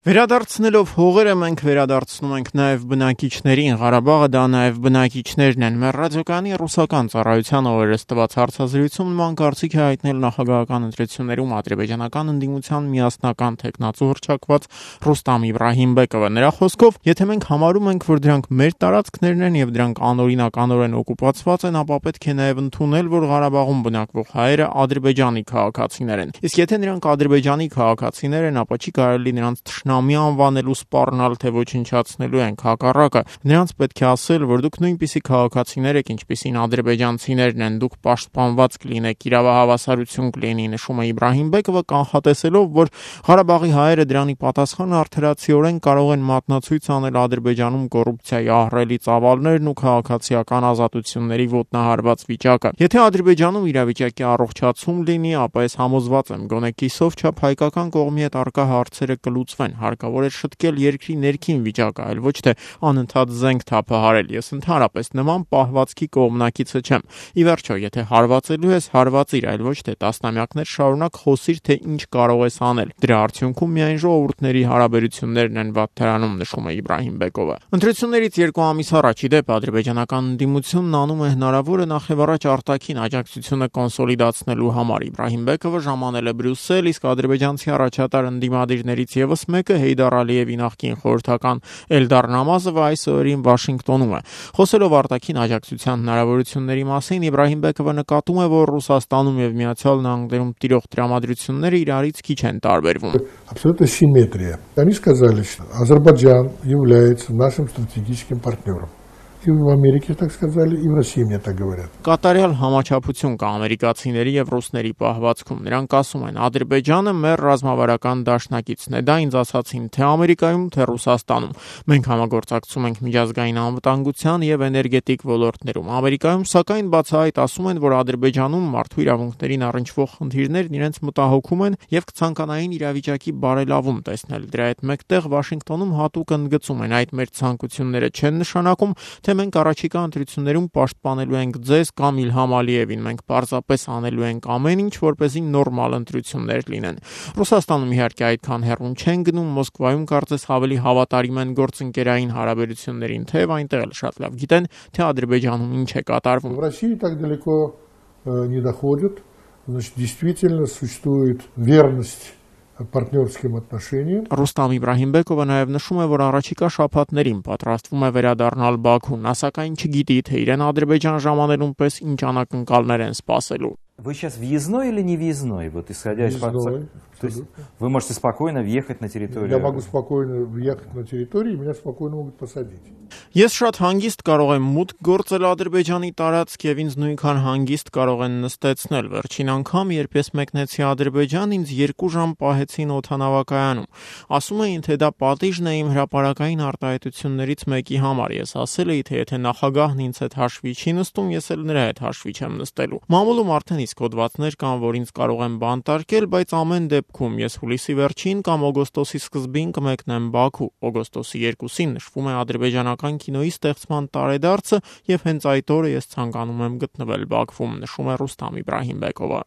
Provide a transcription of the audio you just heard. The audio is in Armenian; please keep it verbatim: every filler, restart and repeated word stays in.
Վերադարձնելով հողերը մենք վերադարձնում ենք նաև բնակիչներին, Ղարաբաղը դա նաև բնակիչներն են։ Մեր ռադիոկայանի ռուսական ծառայության օրերս տված հարցազրույցում նման կարծիք է հայտնել նախագահական ընտրություններում ադրբեջանական ընդդիմության միասնական թեկնածու հռչակված Ռուստամ Իբրահիմբեկովը։ Նրա խոսքով, եթե մենք համարում ենք, որ դրանք մեր տարածքներն են եւ դրանք անօրինականորեն օկուպացված են, ապա պետք է նաև ընդունել, որ Ղարաբաղում բնակվող հայերը ադրբեջանի քաղաքացիներ են։ Իսկ եթե նրանք ադրբեջանի քաղաքացիներ են, ապա չի կարելի նրանց Նամի անվանելու սպառնալ, թե ոչնչացնելու ենք, հակառակը։ Նրանց պետք է ասել, որ դուք նույնպիսի քաղաքացիներ եք, ինչպիսին ադրբեջանցիներն են, դուք պաշտպանված կլինեք, իրավահավասարություն կլինի, նշում է Իբրահիմբեկովը, կանխատեսելով, որ Ղարաբաղի հայերը դրանի պատասխան արդարացիորեն կարող են մատնացույց անել Ադրբեջանում կոռուպցիայի ահռելի ծավալներն ու քաղաքացիական ազատությունների ոտնահարված վիճակը։ Եթե Ադրբեջանում իրավիճակի առողջացում լինի, ապա ես համոզված եմ, գոնե կիսով չափ հայկական կողմի հետ առկա հարցերը կլուծվեն։ Հարկավոր է շտկել երկրի ներքին վիճակը, այլ ոչ թե անընդհատ զենք թափահարել։ Ես ընդհանրապես նման պահվածքի կողմնակիցը չեմ։ Ի վերջո, եթե հարվածելու ես, հարվածիր, այլ ոչ թե տասնամյակներ շարունակ խոսիր, թե ինչ կարող ես անել։ Դրա արդյունքում միայն ժողովուրդների հարաբերություններն են վատթարանում, նշում է Իբրահիմբեկովը։ Ընտրություններից երկու ամիս առաջ ի դեպ ադրբեջանական ընդդիմությունն անում է հնարավորը նախևառաջ արտաքին աջակցությունը կոնսոլիդացնելու համար։ Իբրահիմբեկովը ժամանել է Բրյուսել, իսկ ադրբեջանցի առաջատար ընդդիմադիրներից եւս մեկը Հեյդար Ալիևի նախկին խորհրդական Էլդար Նամազովը այս օրերին Վաշինգտոնում է։ Խոսելով արտաքին աջակցության հնարավորությունների մասին, Իբրահիմբեկովը նկատում է, որ Ռուսաստանում եւ Միացյալ Նահանգներում տիրող տրամադրությունները իրարից քիչ են տարբերվում։ Абсолютно симметрия. Они сказали, что Азербайджан является нашим стратегическим партнером. И в Америке так сказали, и в России мне так говорят. Կատարյալ համաչափություն կա ամերիկացիների եւ ռուսների պահվածքում։ Նրանք ասում են, Ադրբեջանը մեր ռազմավարական դաշնակիցն է։ Դա ինձ ասացին թե Ամերիկայում, թե Ռուսաստանում։ Մենք համագործակցում ենք միջազգային անվտանգության եւ էներգետիկ ոլորտներում։ Ամերիկայում, սակայն, բացահայտ ասում են, որ Ադրբեջանում մարդու իրավունքներին առնչվող խնդիրներն իրենց մտահոգում են եւ կցանկանային իրավիճակի բարելավում տեսնել։ Դրա հետ մեկտեղ Վաշինգտոնում հատուկ ընդգծում են, այդ մեր ցանկությունները չեն նշանակում, թե մենք առաջիկա ընտրություններում պաշտպանելու ենք ձեզ կամ Իլհամ Ալիևին, մենք պարզապես անելու ենք ամեն ինչ, որպեսզի նորմալ ընտրություններ լինեն։ Ռուսաստանում իհարկե այդքան հեռուն չեն գնում, Մոսկվայում կարծես ավելի հավատարիմ են գործընկերային հարաբերություններին, թեև այնտեղ էլ շատ լավ գիտեն, թե Ադրբեջանում ինչ է կատարվում։ В России так далеко не доходит, значит, действительно существует верность партнерским отношениям. Ռուստամ Իբրահիմբեկովը նաև նշում է, որ առաջիկա շաբաթներին պատրաստվում է վերադառնալ Բաքու, նա սակայն չգիտի, թե իրեն Ադրբեջան ժամանելուն պես ինչ անակնկալներ են սպասելու։ Вы сейчас въездной или не въездной? Вот исходя из факта, то есть вы можете спокойно въехать на территорию. Я могу спокойно въехать на территорию, и меня спокойно могут посадить. Ես շատ հանգիստ կարող եմ մուտք գործել Ադրբեջանի տարածք եւ ինձ նույնքան հանգիստ կարող են նստեցնել։ Վերջին անգամ, երբ ես մեկնեցի Ադրբեջան, ինձ երկու ժամ պահեցին օդանավակայանում։ Ասում էին, թե դա պատիժն է իմ հրապարակային արտահայտություններից մեկի համար։ Ես ասել էի, թե եթե նախագահն ինձ հետ հաշվի չի նստում, ես էլ նրա հետ հաշվի չեմ նստելու։ Մամուլում արդեն իսկ հոդվածներ կան, որ ինձ կարող են բանտարկել, բայց ամեն դեպքում ես հուլիսի վերջին կամ օգոստոսի սկզբին կմեկնեմ Բաքու։ Օգոստոսի երկուսին նշվում է ադրբեջանական կինոյի ստեղծման տարեդարձը եւ հենց այդ օրը ես ցանկանում եմ գտնվել Բաքվում, նշում է Ռուստամ Իբրահիմբեկովը։